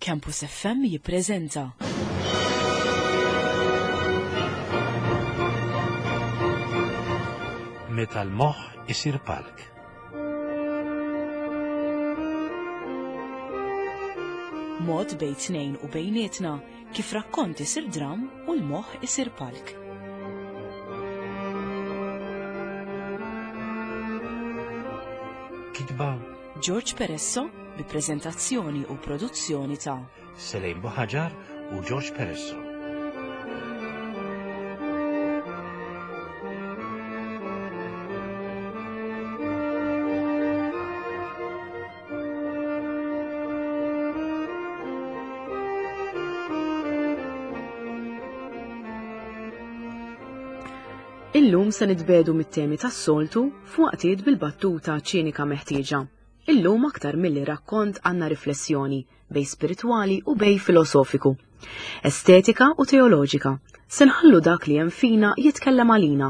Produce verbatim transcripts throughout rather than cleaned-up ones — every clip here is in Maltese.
Campus F M jippreżenta Meta l-moħħ isir palk. Mod bejn tnejn u bejnietna kif rakkont isir dram u l-moħħ isir palk. Kitba George Peresso bi preżentazzjoni u produzzjoni ta' Selejn Buħaġar u George Peresso. Illum se nitbedu mit-temi tas-soltu f'waqtiet bil-battuta ċinika meħtieġa. Illum aktar milli rakkont għandna riflessjoni bej spiritwali u bej filosofiku, estetika u teoloġika. Se nħallu dak li hemm fina jitkellem għalina.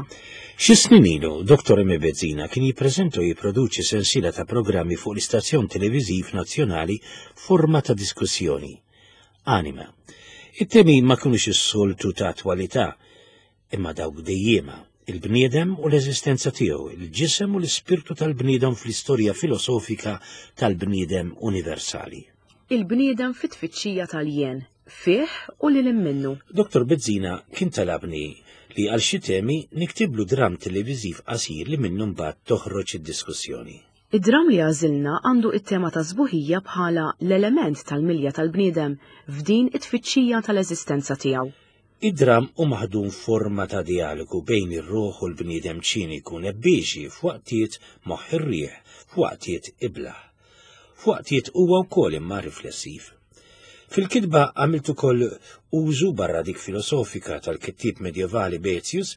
Xi snin ilu, Doktor Emi Bezzina kien jippreżenta u jipproduċi sensiela ta' programmi fuq l-istazzjon televiżiv nazzjonali forma ta' diskussjoni. Anima. It-temi ma kinux is-soltu ta' attwalità, imma dawk dejjema, il-bniedem u l-eżistenza tiegħu, il-ġisem u l-ispirtu tal-bniedem fl-istorja filosofika tal-bniedem universali. Il-bniedem fit-tfittxija tal-jien, fih u lil minnu. Doktor Bezzina kien talabni li għal xi temi niktiblu dram televiżiv qasir li minnu mbagħad toħroġ id-diskussjoni. Id-dram li għażilna għandu it-tema ta' sbuħija bħala l-element tal-milja tal-bniedem f'din it-tfittxija tal-eżistenza tiegħu. Id-dram hu maħdum forma ta' dialogu bejn ir-ruħ u l-bniedem ċiniku nebbieġi f'waqtiet moħħ ir-riħ, f'waqtiet iblah. F'waqtiet huwa wkoll imma riflessiv. Fil-kitba għamilt ukoll użu barra dik filosofika tal-kittieb medjevali Boethius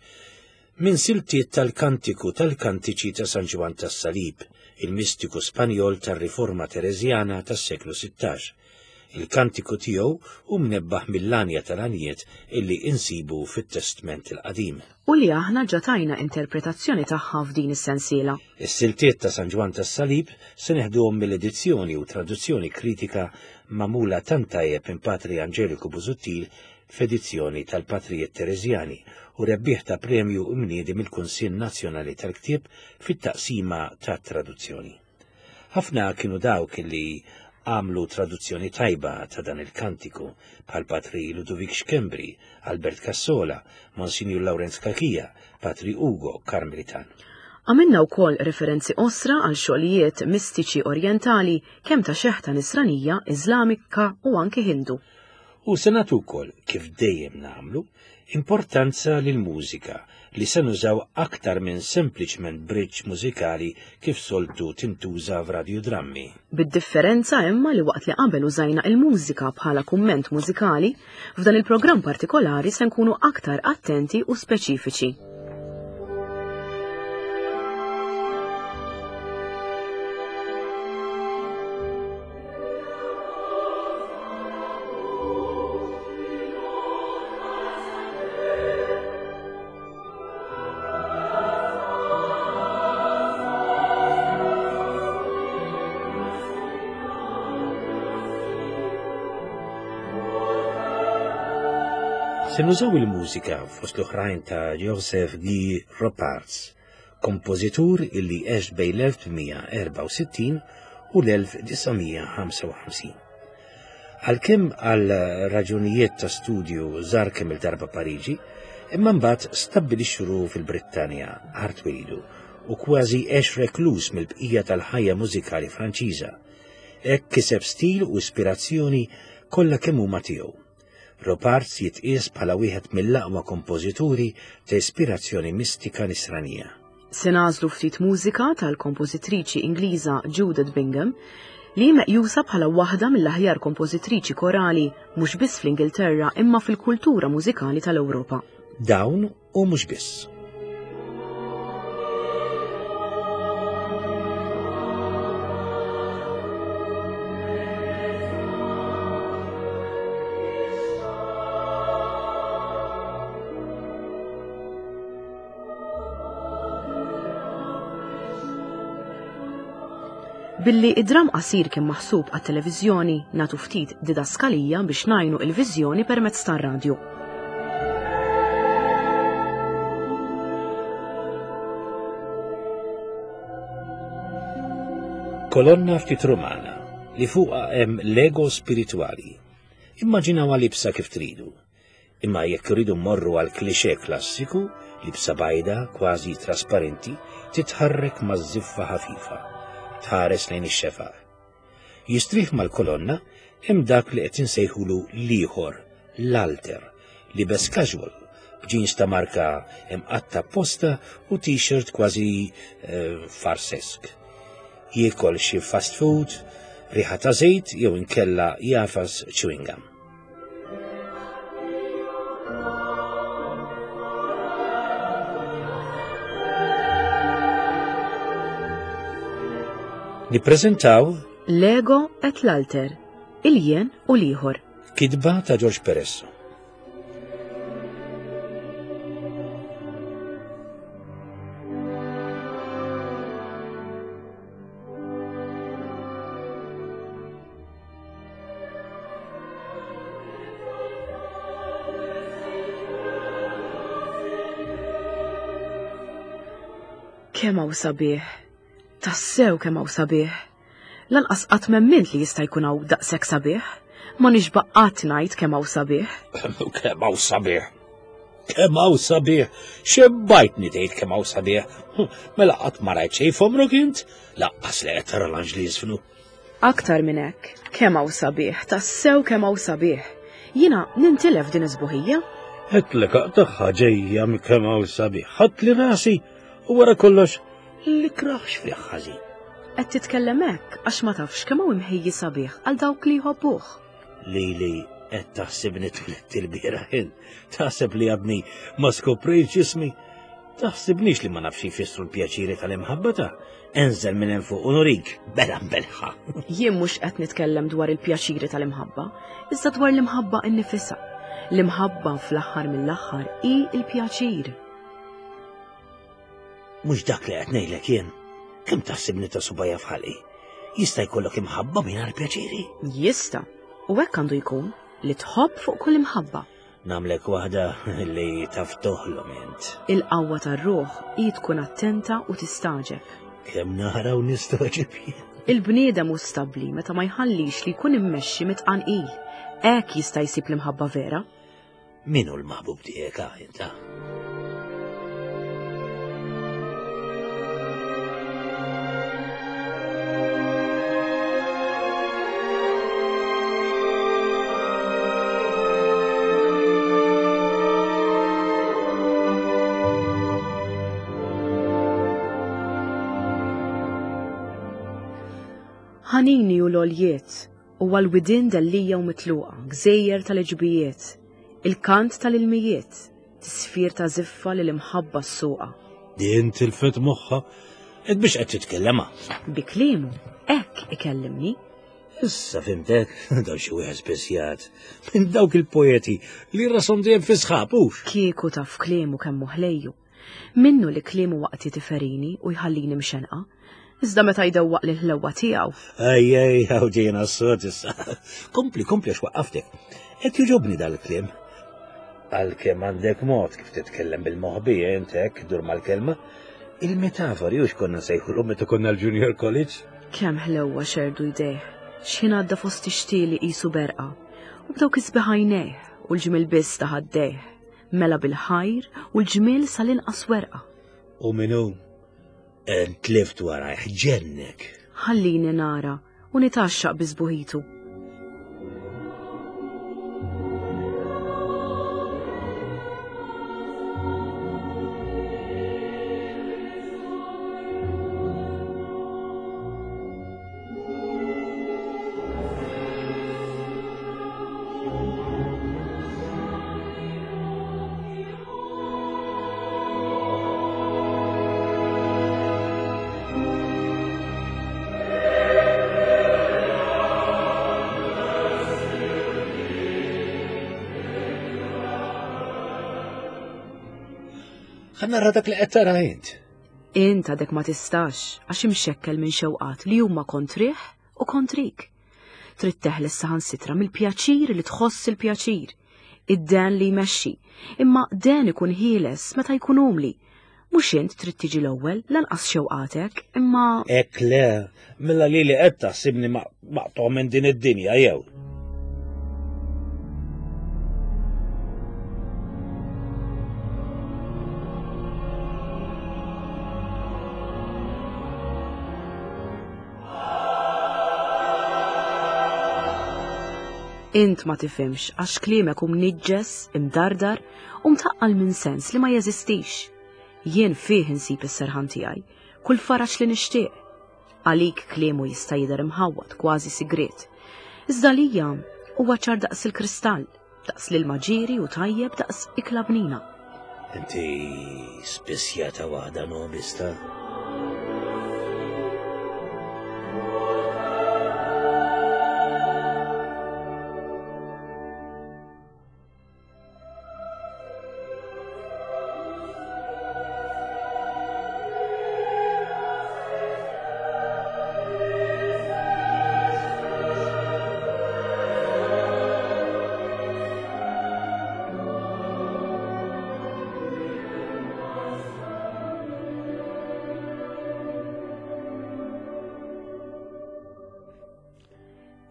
minn siltiet tal-kantiku tal-kantiċi ta' San Ġwann tas-Salib, il-mistiku Spanjol tar-Riforma Tereżjana tas-seklu sittax. Il-kantiku tiegħu hu mnebbaħ mill-għanja tal-għanjiet illi insibu fit-Testment il-Qadim. U li aħna ġatajna interpretazzjoni tagħha f'din is-sensiela. Is-siltiet ta' San Ġwann tas-Salib se neħduhom mill-edizzjoni u traduzzjoni kritika magħmula tant tajjeb minn Patri Angeliku Busuttil f'edizzjoni tal-Patrijiet Tereżjani u rebbieħ ta' premju mniedi mill-Kunsill Nazzjonali tal-Ktieb fit-taqsima tat-traduzzjoni. Ħafna kienu dawk li għamlu traduzzjoni tajba ta' dan il-kantiku bħal Patri Ludovic Schembri, Albert Cassola, Monsignor Lawrenz Cachia, Patri Ugo Karmelitan. Għamilna wkoll referenzi osra għal xogħlijiet mistiċi orjentali kemm ta' xeħta nisranija, Iżlamika u anki Hindu. U se nagħtu wkoll, kif dejjem nagħmlu, importanza lill-mużika li se nużaw aktar minn sempliċement bridge mużikali kif soltu tintuża f'radiodrammi. Bid-differenza imma li waqt li qabel użajna il-mużika bħala kumment mużikali, f'dan il-programm partikolari se nkunu aktar attenti u speċifiċi. Se nużaw il-mużika fost l-oħrajn ta' Joseph Guy Ropartz, kompożitur illi għex bejn l-elf tmien erba' u sittin u l-elf disa' mija ħamsa u ħamsin. Għalkemm għal raġunijiet ta' studju żar kemm il-darba Pariġi, imma mbagħad stabbilixxu ruħu fil-Brittanja art wilidu u kważi għex reklus mill-bqija tal-ħajja mużikali Franċiża. Hekk kiseb stil u ispirazzjoni kollha kemm huma tiegħu. Ropartz jitqies bħala wieħed mill-aqwa kompożituri ta' ispirazzjoni mistika nisranija. Se nagħżlu ftit mużika tal-kompożitriċi Ingliża Judith Bingham li meqjusa bħala waħda mill-aħjar kompożitriċi korali mhux biss fl-Ingilterra imma fil-kultura mużikali tal-Ewropa. Dawn u mhux biss. Billi id-dram qasir kien maħsub għat-televiżjoni, nagħtu ftit didaskalija biex ngħinu il-viżjoni permezz tar-radju. Kolonna ftit Rumana li fuqha hemm Lego spiritwali. Immaġinawha libsa kif tridu. Imma jekk iridu mmorru għal klixe klassiku, libsa bajda, kważi trasparenti, titħarrek maż-żiffa ħafifa, tħares lejn ix-xefaq. Jistrieħ mal-kolonna hemm dak li qed insejħulu l-ieħor, l-alter, libes casual, b'jeans ta' marka imqatta apposta u t-shirt kważi eh, farsesk. Jiekol xi fast food, riħa ta' żejt jew inkella jafas chewing gum. Nippreżentaw Lego et l-alter, il-jien u l-ieħor. Kitba ta' George Peresso. Kemm hawn sabiħ, tassew kemm hawn sabiħ. Lanqas qatt m'emmint li jista' jkun hawn daqshekk sabiħ. Ma nixba' qatt ngħid kemm hawn sabiħ. Kemm hawn sabiħ. Kemm hawn sabiħ. Xebbajtni tgħid kemm hawn sabiħ. Mela qatt ma rajt xejn f'għomrok int? Laqqas li qed tara l-anġli jiżfnu. Aktar minn hekk, kemm hawn sabiħ, tassew kemm hawn sabiħ. Jiena nintilef din is-sbuħija. Qedlek tagħha ġejja minn kemm hawn sabiħ. Ħadd li rasi u wara kollox li kraħx fih ħażin. Qed titkellem hekk għax ma tafx kemm hawn imħejji sabiħ għal dawk li jħobbuh. Lili qed taħsibni tliet il-bieraħ int, taħseb li għadni ma skoprejtx ġismi, taħsibnix li ma nafx jfissru l-pjaċiri tal-imħabba ta' enżel minn hemm fuq u nurik bela mbelħa. Jien mhux qed nitkellem dwar il-pjaċiri tal-imħabba, iżda dwar l-imħabba innifisha. L-imħabba fl-aħħar mill-aħħar hi l-pjaċir. Mhux dak li qed ngħidlek jien. Kemm taħsibni ta' subajja f'ħalqi? Jista' jkollok imħabba mingħajr pjaċiri? Jista', u hekk għandu jkun li tħobb fuq kull imħabba. Nagħmlek waħda li taf toħlom int. Il-qawwa tar-ruħ hi tkun attenta u tistaġeb. Kemm nara u nistaġeb jien. Il-bniedem hu stabbli meta ma jħallix li jkun immexxi mitqanqil. Hekk jista' jsib l-imħabba vera. Min hu l-maħbub tiegħek ah, inta? Ħanini u l-oljiet, u għal-widin dellija u mitluqa, gżejjer tal-ġbijiet, il-kant tal-ilmijiet, tisfir ta' ziffa li l-imħabba s-suqa. Din tilfet moħħa, ed biex qed titkellema. Bi kliemu, hekk ikellimni. Issa fimtek, daw xi wieħed spesjat, minn dawk il-poeti li rashom dejjem fi sħab hux. Kieku taf kliemu kemm ħlejju. Minnu li kliemu waqti tiferini u jħallini mxenqa. Iżda meta jdewwaq li l-ħlewwa tiegħu. Ej, ej, hawn ġejna s-sod issa. Kompli, kompli għax waqqaftek. Qed jogħġobni dal-kliem. Għalkemm għandek mod kif titkellem bil-moħbi int hekk dur mal-kelma. Il-metafori hux konna nsejħulhom meta konna l-Junior College. Kemm ħlewwa xerdu jdejh, x'ħin għadda fost ixtieli qisu berqa. U b'dawk isbiħ għajnejh u l-ġmiel biss ta' ħaddejh. Mela bil-ħajr u l-ġmiel sal-inqas werqa. U min hu? Tlift warajh ġennek. Ħallini nara u nitaxxaq bi sbuħitu. Ħa nara dak li qed tara int. Int għadek ma tistax għax imxekkel minn xewqat li huma kontrih u kontrik. Trid teħles saħansitra mill-pjaċir li tħoss il-pjaċir, id-den li jmexxi, imma den ikun ħieles meta jkun umli. Mhux int trid tiġi l-ewwel lanqas xewqatek, imma Hekk le, mela lili qed taħsibni maqtugħ minn din id-dinja jew. Int ma tifhimx għax kliemek hu mniġġes, imdardar u mtaqqal minn sens li ma jeżistix. Jien fih insib is-serħan tiegħi, kull faraġ li nixtieq. Għalik kliemu jista' jidher imħawwad kważi sigriet. Iżda lija huwa ċar daqs il-kristall, daqs l-ilma ġieri u tajjeb daqs ikla bnina. Inti spissjata waħda nobista.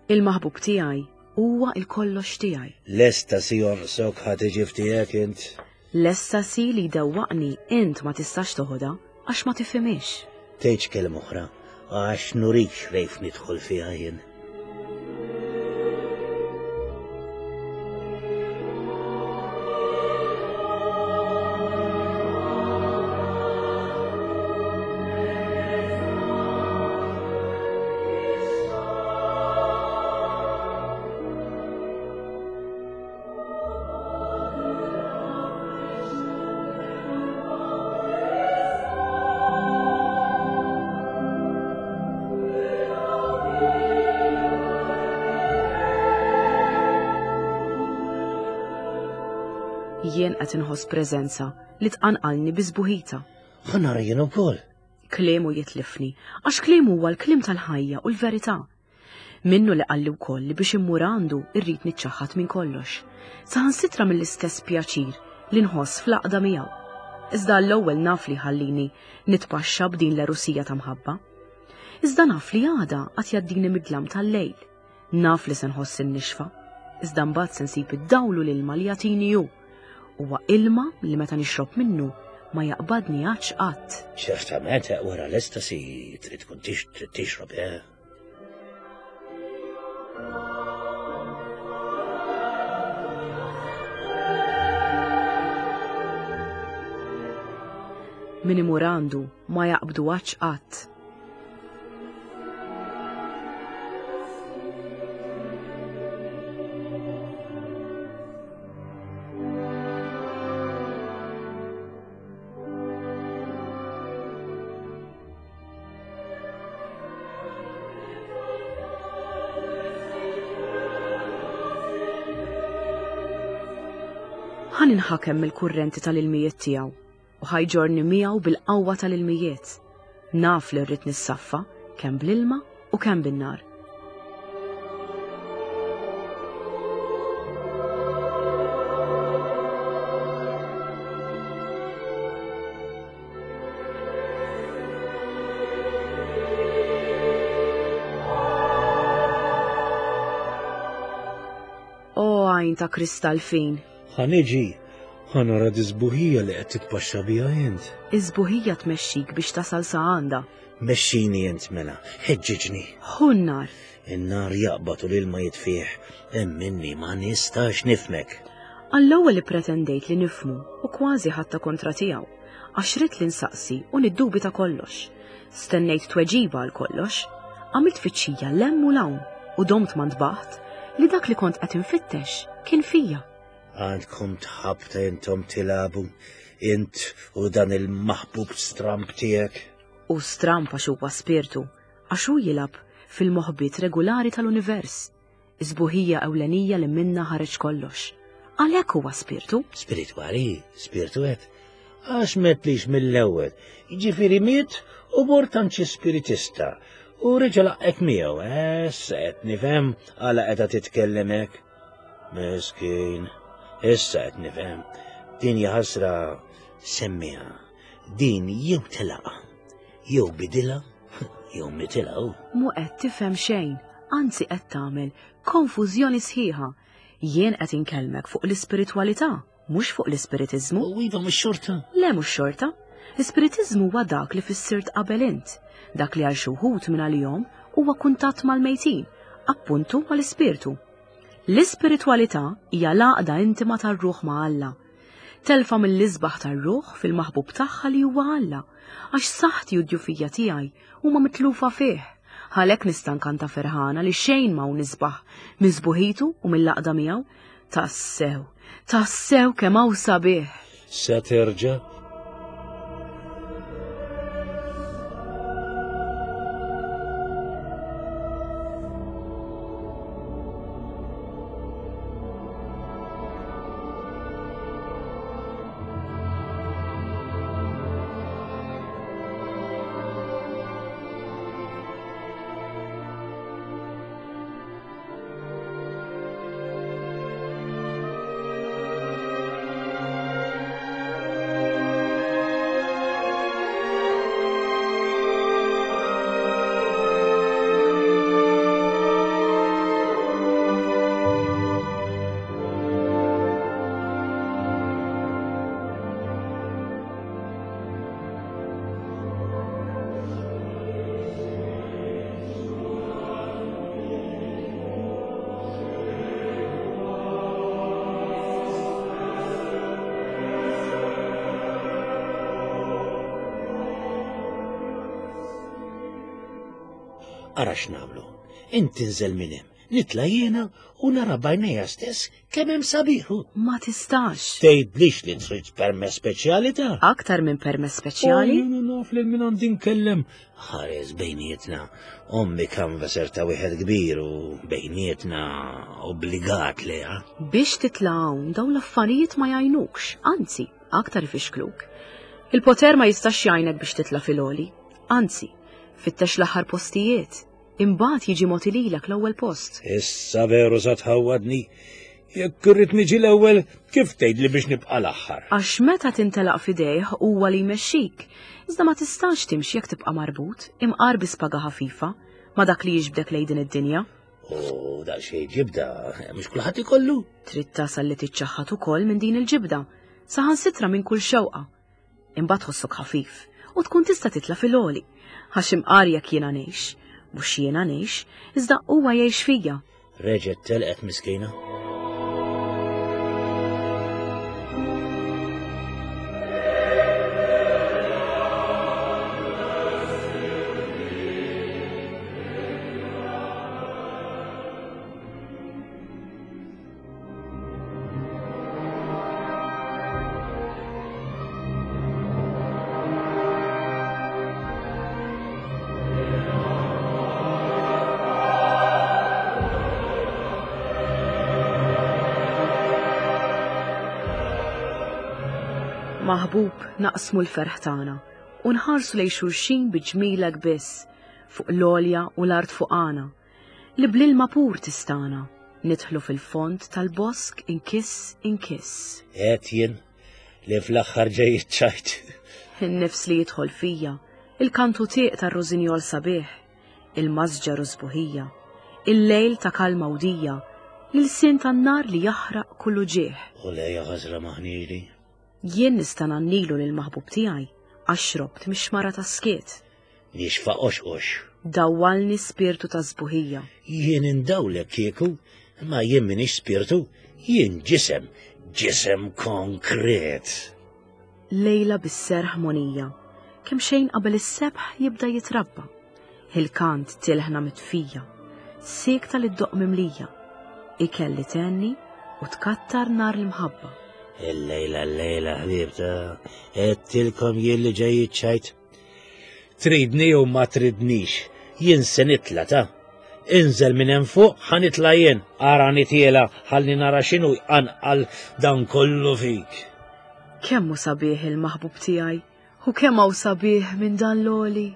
Il-maħbub tiegħi huwa il-kollox tiegħi. L-estasi jonqsok ħa tiġi f'tiegħek int. L-estasi li jdewwaqni int ma tistax toħodha għax ma tifhimhiex. Tgħidx kelma oħra għax nurik xrejf nidħol fiha jien. Jien qed inħoss preżenza li tqanqalni bi sbuħita. Ħa nara jien ukoll. Kliemu jitlifni, għax kliemu huwa l-kliem tal-ħajja u l-verità. Minnu li qalli wkoll li biex immur għandu irrid niċċaħħad minn kollox, saħansitra mill-istess pjaċir li nħoss fl-għaqda miegħu. Iżda l-ewwel naf li ħallini nitpaxxa b'din l-erusija ta' mħabba. Iżda naf li għada qatt jgħaddini mid-dlam tal-lejl. Naf li se nħoss in-nixfa, iżda mbagħad se nsib id-dawl u l-ilma li jagħtini hu. Huwa ilma li meta nixrob minnu ma jaqbadni għatx qatt. Ċertament wara l-estasi trid tkun trid tixrob, eh? Min imur għandu ma jaqbdu għatx qatt. Ħa ninħakem mill-kurrenti tal-ilmijiet tiegħu u ħajġorni miegħu bil-qawwa tal-ilmijiet. Naf li rrid nissaffa kemm bl-ilma u kemm bin-nar. O għajn ta' kristall fin. Ħa niġi, ħa nara d-isbuħija li qed titpaxxa biha int. Iż-sbuħija tmexxik biex tasal sa għandha. Mexxini int mela, ħeġġiġni. Ħu n-nar. In-nar jaqbad u l-ilma jitfih, emminni ma nistax nifhmek. Għall-ewwel ippretendejt li nifhmu u kważi ħadta kontra tiegħu, għax ridt li nsaqsi u niddubita kollox. Stennejt tweġiba għal kollox, għamilt tfittxija l-hemm u l-hawn u domt ma ntbaħt li dak li kont qed infittex kien fija. Għandkom tħabta intom tilabu, int u dan il-maħbub stramp tiegħek. U stramp għax huwa spirtu, għax hu jilgħab fil-moħbiet regolari tal-univers, isbuħija ewlenija li minna ħareġ kollox. Għalhekk huwa spirtu. Spiritwali, spirtu qed. Għax metlix mill-ewwel. Jiġifieri miet u mort għand xi spiritista. U reġa' laqgħek miegħu, issa qed nifhem għala qiegħda titkellem hekk. Miskin, issa qed nifhem. Din hija ħasra semmiha. Din jew telaqa, jew bidilha, jew mitilha. Mu qed tifhem xejn, anzi qed tagħmel konfużjoni sħiħa. Jien qed inkellmek fuq l-ispiritwalità, mhux fuq l-ispiritiżmu. U iva mhux xorta. Le mhux xorta. L-ispiritiżmu huwa dak li fissirt qabel int, dak li għal xi wħud minn għalihom huwa kuntatt mal-mejtin, appuntu mal-ispirtu. L-ispiritwalità hija l-għaqda intima tar-ruħ ma' Alla. Telfa mill-isbaħ tar-ruħ fil-maħbub tagħha li huwa Alla, għax saħħti u d-djufija tiegħi huma mitlufa fih. Għalhekk nista' nkanta ferħana li xejn ma hawn isbaħ minn sbuħitu u mill-għaqda miegħu. Tassew, tassew kemm hawn sabiħ. Se terġa'? Ara x'nagħmlu. Inti nżel minn hemm, nitla' jiena u nara b'għajnejja stess kemm hemm sabiħu. Ma tistax. Tgħidlix li trid permess speċjali ta'? Aktar minn permess speċjali? Jiena naf lil min għandi nkellem. Ħares bejnietna. Ommi kanvaser ta' wieħed kbir u bejnietna obbligat liha. Biex titla' hawn dawn l-affarijiet ma jgħinukx, anzi, aktar ifixkluk. Il-poter ma jistax jgħinek biex titla' fil-għoli. Anzi, fittex l-aħħar postijiet. Imbagħad jiġi mogħti lilek l-ewwel post. Issa veru sa tħawwadni. Jekk irrid niġi l-ewwel, kif tgħidli biex nibqa' l-aħħar? Għax meta tintelaq f'idejh huwa li jmexxik. Iżda ma tistax timxi jekk tibqa' marbut, imqar bi spaga ħafifa ma' dak li jiġbdek lejn din id-dinja. U daqsxejn ġibda, mhux kulħadd ikollu. Trid tasal li tiċċaħħad ukoll minn din il-ġibda, saħansitra minn kull xewqa. Imbagħad tħossok ħafif u tkun tista' titla' fil-għoli. Għax imqar jekk jiena ngħix, mhux jiena ngħix, iżda huwa jgħix fija. Reġgħet telqet miskina. Maħbub naqsmu l-ferħ tagħna u nħarsu lejn xulxin bi ġmilek biss fuq l-għolja u l-art fuqana li bl-ilma pur tistana nidħlu fil-fond tal-bosk inkiss inkiss. Qed jien li fl-aħħar ġej iċ-ċajt. In-nifs li jidħol fija, il-kantu tieq tar-rożinjol sabiħ, il-masġar u sbuħija, il-lejl ta' kalma u dija, l-ilsien tan-nar li jaħraq kullu ġieħ. U lejja ħażra maħnili. Jien nista' ngħannilu lill-maħbub tiegħi għax xrobt mix-xmara tas-skiet. Nixfa qoxqox. Dawwalni spirtu ta' sbuħija. Jien indawlek kieku, ma jien m'iniex spirtu, jien ġisem, ġisem konkret. Lejla bis-serħ monija, kemm xejn qabel is-sebħ jibda jitrabba. Il-kant tilħna mitfija, siekta li ddoq mimlija, ikel li tenni u tkattar nar l-imħabba. Il-lejla, l-lejla, ħbibta, għedtilkom jien li ġej iċ-ċajt. Tridni u ma tridnix, jien se nitla' ta'. Inżel minn hemm fuq, ħa nitla' jien, ara nitiela, ħalli nara x'inhu jqanqal dan kollu fik. Kemm hu sabiħ il-maħbub tiegħi u kemm hawn sabiħ minn dan l-għoli.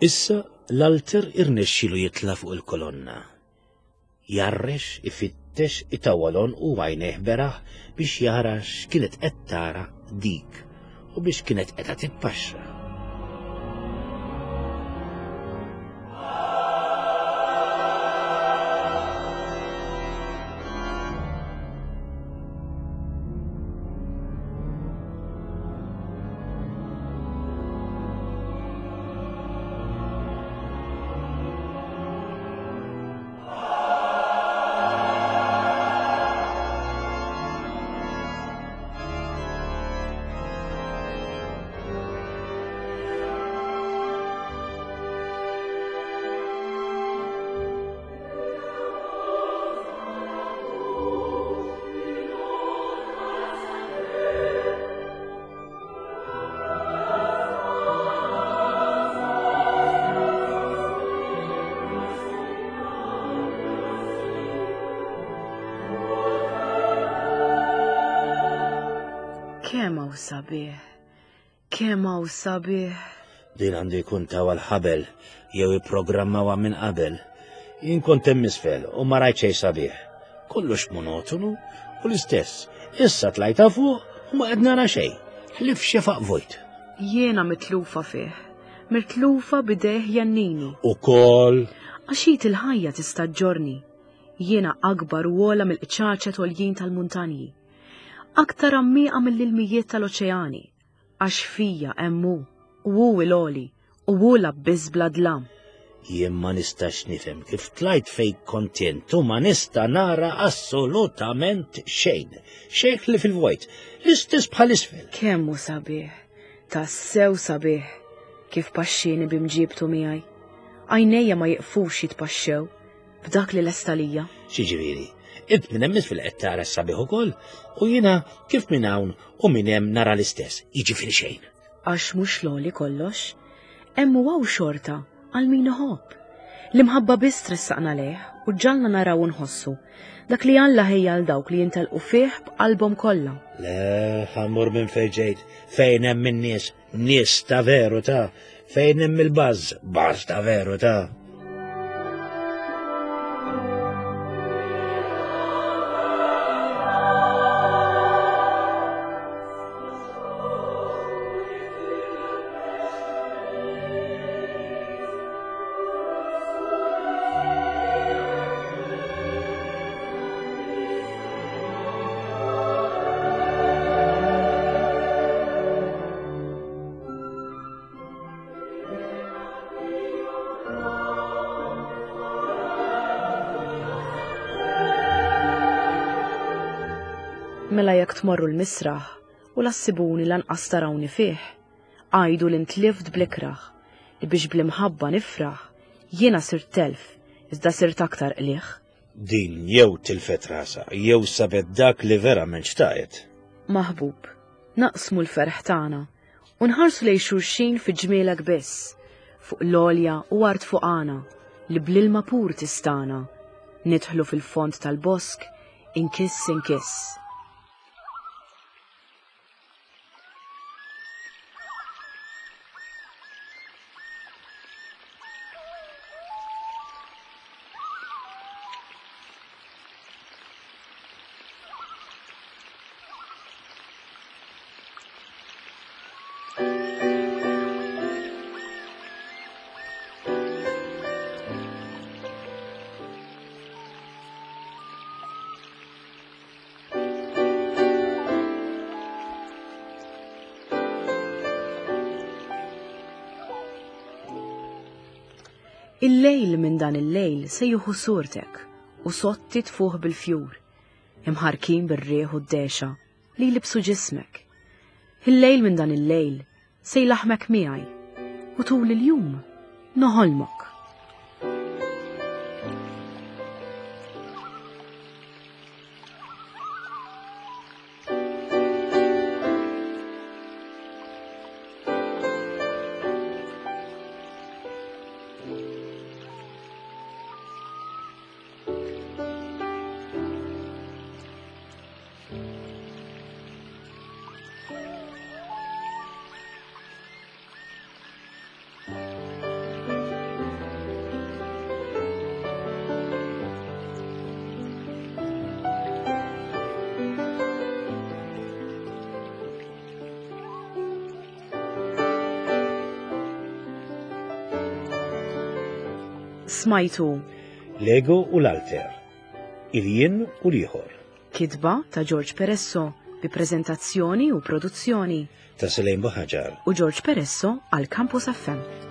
Issa l-alter irnexxilu jitla' fuq il-kolonna. Jarrex, ifittex, itawwalon u għajnejh beraħ biex jara x'kienet qed tara dik u biex kienet qed titpaxxa. Kemm hawn sabiħ, kemm hawn sabiħ. Din għandu jkun tawa l-ħabel jew ipprogrammawha minn qabel. Jien kont hemm isfel u ma rajt xejn sabiħ. Kollox monotonu u l-istess. Issa tlajta fuq u ma qed nara xejn. Ħlif xefaq vojt. Jiena mitlufa fih, mitlufa bidejh jannini. Ukoll. Għax il-ħajja tista' ġġorni. Jiena akbar u ogħla mill-qċaċet għoljin tal-muntanji. Aktar għammieqa mill-ilmijiet tal-oċeani, għax fija hemm hu, u hu l-għoli, u hu l-abbiss bla dlam. Jien ma nistax nifhem kif tlajt fejn kont int u ma nista' nara assolutament xejn. Xejn li fil-vojt, l-istess bħal isfel. Kemm hu sabiħ, tassew sabiħ, kif paxxieni b'imġibtu miegħi. Għajnejja ma jiqfux jitpaxxew b'dak li lesta lija. X'jiġifieri? Int minn hemm isfel qed tara s-sabiħ ukoll u jiena kif minn hawn u minn hemm nara l-istess, jiġifieri xejn. Għax mhux l-għoli kollox, hemm u hawn xorta għal min iħobb. L-imħabba biss tressaqna lejh u ġalna naraw u nħossu dak li Alla ħejja għal dawk li jintelqu fih b'qalbhom kollha. Le, ħammur minn fejn ġejt, fejn hemm in-nies, nies ta' veru ta', fejn hemm il-baż, baż ta' veru ta'. Mela jekk tmorru l-misraħ u lassibuni lanqas tarawni fih, għajdu li ntlift bl-ikraħ, li biex bl-imħabba nifraħ, jiena sirt telf, iżda sirt aktar qliħ. Din jew tilfet rasha, jew sabet dak li verament xtaqet. Maħbub, naqsmu l-ferħ tagħna u nħarsu lejn xulxin fi ġmielek biss, fuq l-għolja u art fuqana, li bl-ilma pur tistana, nidħlu fil-fond tal-bosk, inkiss inkiss. Il-lejl minn dan il-lejl se jieħu surtek u sotti tfuħ bil-fjur, imħarkin bir-rieħ u d-dexa li jlibsu ġismek. Il-lejl minn dan il-lejl se jlaħmek miegħi u tul il-jum noħolmok. Smajtu L-ego u l-alter, il-jien u l-ieħor. Kitba ta' George Peresso bi preżentazzjoni u produzzjoni ta' Selene Buhagiar u George Peresso għal Campus F M.